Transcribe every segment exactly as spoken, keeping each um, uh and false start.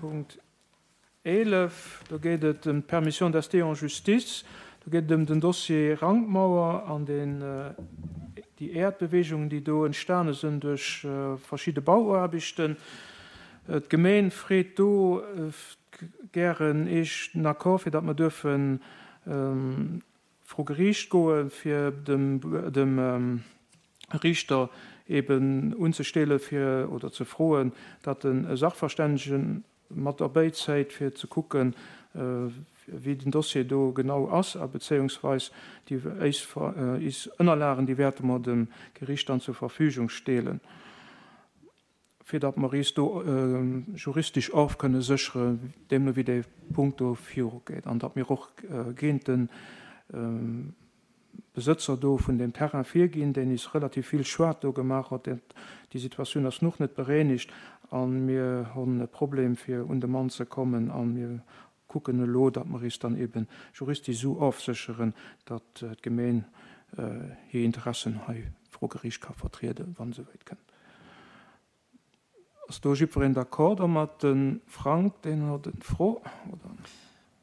Punkt eelef. Do geet et ëm d'Permission d'ester en justice. Do geet et ëm den Dossier Rankmauer an den, déi Äerdbeweegungen, déi do entstane sinn duerch verschidde Bauaarbechten. D'Gemeen freet do gären Eech den Accord, fir datt mer duerfen vru Geriicht goen, fir dem, dem Riichter eben unzestelle fir oder ze froen, datt en e Sachverstännegen mat erbäizéit, fir ze kucken, wéi den Dossier do genau ass, a bezéiungsweis déi éis Ënnerlagen, déi wäerte mer dem Geriicht dann zur Verfügung stellen, fir datt mer is do juristesch of kënne sécheren, deemno wéi dee Punkt do virugeet, an datt mir och géint de Besëtzer do vun deem Terrain virginn, deen is relativ vill Schued do gemaach huet. Déi Situatioun ass noch net berénigt a mir hunn e Problem, fir un de Mann ze kommen, a mir kucken elo, datt mer is dann eben juristesch esou ofsécheren, datt d'Gemeen hir Interessen hei vru Geriicht ka vertrieden, wann esouwäit kënnt. Ass do jiddwereen d'accord domat? De Frank, deen huet eng Fro, oder?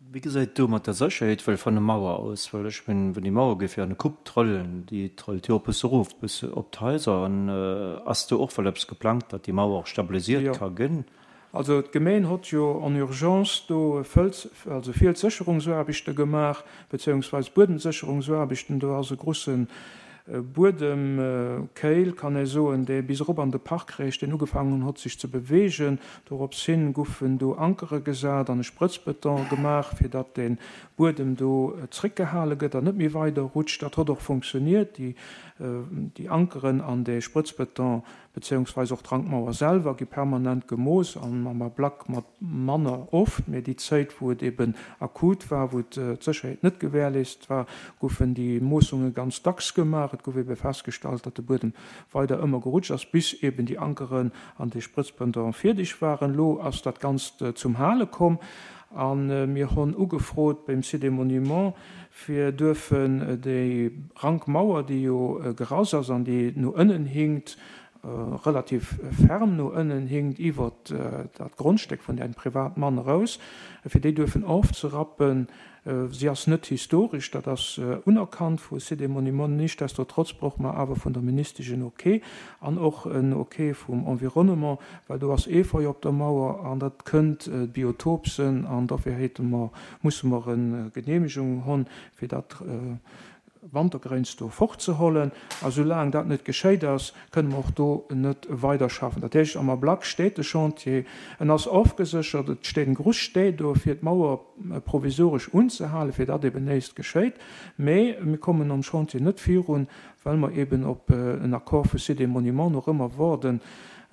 Wéi gesäit et do mat der Sécherheet well vun der Mauer aus? Well ech mengen, wann déi Mauer géif jo an de Kupp trëllen, déi trëllt jo och bësse erof bis op d'Haiser. An ass do och well eppes geplangt, datt déi Mauer och stabilisiert Jo. ka ginn? Also d'Gemeen hott jo en urgence do Fëls, also Fielssécherungsaarbechte gemaach, beziehungsweise Buedemsécherungsaarbechten. Do ass e grussen Buedemkéil, kann ee soen, dee bis erop an de Park reecht, deen ugefaangen hott sech ze beweegen. Dorops hin goufen do Ankere gesat an e Sprëtzbeton gemaach, fir datt de Buedem do zréckgehale gëtt an net méi weider rutscht. Dat hott och funktioniert. Déi, déi Ankeren an de Sprëtzbeton beziehungsweise och d'Rankmauer selwer gi permanent gemooss an am Ablack mat manner oft, mee déi Zäit, wou et eben akut war, wou d'Sécherheet net gewährleist war, goufen déi Moossunge ganz dacks gemaach. Et gouf ebe festgestallt, datt de Buedem weider ëmmer gerutscht ass, bis eben déi Ankeren an de Sprëtzbeton fierdeg waren. Elo ass dat Ganzt zum Hale komm a mir hunn ugefrot beim Site des Monuments, fir duerfen déi Rankmauer, déi jo gerass ass an déi no ënnen hinkt, relativ ferm no ënnen hinkt, iwwert dat Grondstéck vun engem Privatmann eraus, fir déi duerfen ofzerappen. Si ass net historesch, dat ass unerkannt vu Sites et Monuments. Nichtsdestotrotz brauche mer awer vun der Ministesch en Ok an och en Ok vum Environnement, well do ass Efeu op der Mauer an dat kënnt Biotop sinn an dofir hate mer, musse mer eng Geneemegung hunn, fir dat Wantergréins do fortzehollen. A soulaang dat net geschéit ass, kënne mer och do net weiderschaffen. Dat heescht, am Ablack steet de Chantier, en ass ofgeséchert, et steet en gruss Stee do, fir d'Mauer provisoresch unzehalen, fir datt eben näischt geschéit. Mee mir kommen am Chantier net virun, well mer eben op en Accord vu Sites et Monuments nach ëmmer waarden,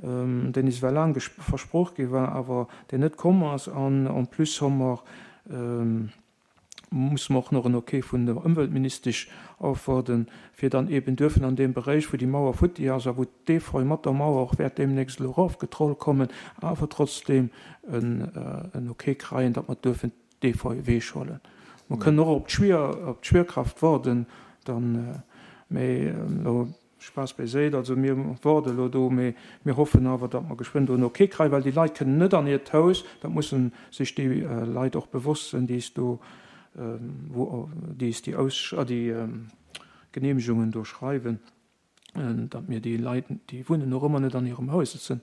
deen is well laang versproch gi war, awer deen net komm ass. An en plus hu mer, musse mer och nach en Ok vun der Ëmweltministesch ofwaarden, fir dann eben duerfen an deem Beréich, wou déi Mauer futti ass a wou d'Efeu mat der Mauer och wäert deemnächst elo erofgetrollt kommen, awer trotzdeem en Ok kreien, datt mer duerfen d'Efeu ewechhuelen. Mer kënnen och op d'Schwier, op d'Schwierkraft waarden, dann, mee elo Spaass bäiséit, also mir waarde elo do, mee mir hoffen awer, datt mer geschwënn do en Ok kreien, well déi Leit kënnen net an hiert Haus, dat musse sech déi Leit och bewosst sinn, déi es do, wou déi es déi Aus, déi Genehmegungen do schreiwen, datt mir déi Leit, déi wunnen och ëmmer net an hirem Haus, dat sinn,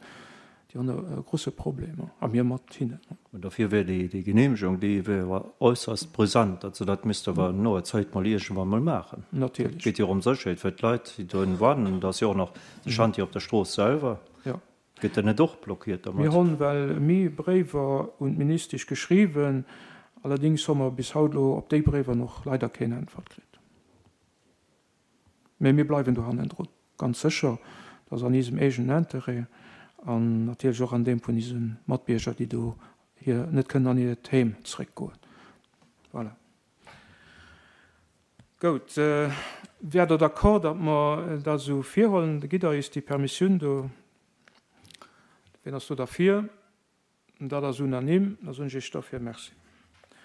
déi hunn e grosse Problem, a mir mat hinnen. An dofir wär déi, déi Genehmegung, déi wär awer äusserst brisant. Also dat misst awer an noer Zäit mol iergendwann mol maachen. Natierlech. Et geet jo och ëm Sécherheet fir d'Leit, déi do wannen. Da ass jo och nach de Chantier op der Strooss selwer. Jo. Gëtt dat net och blockiert domat? Mir hunn well méi Bréiwer un d'Ministesch geschriwwen. Allerdéngs hu mer bis haut elo op déi Bréiwer nach leider keen Äntwert kritt. Mä mir bleiwen do hannendrun, ganz sécher. Dat ass an eisem eegenen Intérêt an natierlech och an deem vun eise Matbierger, déi do hir net kënnen an hiert Heem zréckgoen. Voilà. Gout. Wäert Der d'accord, datt mer dat esou virhuelen? Da gitt Der eis déi Permissioun do. Wien ass do derfir? Dat ass unanime. Da soen ech Iech dofir Merci.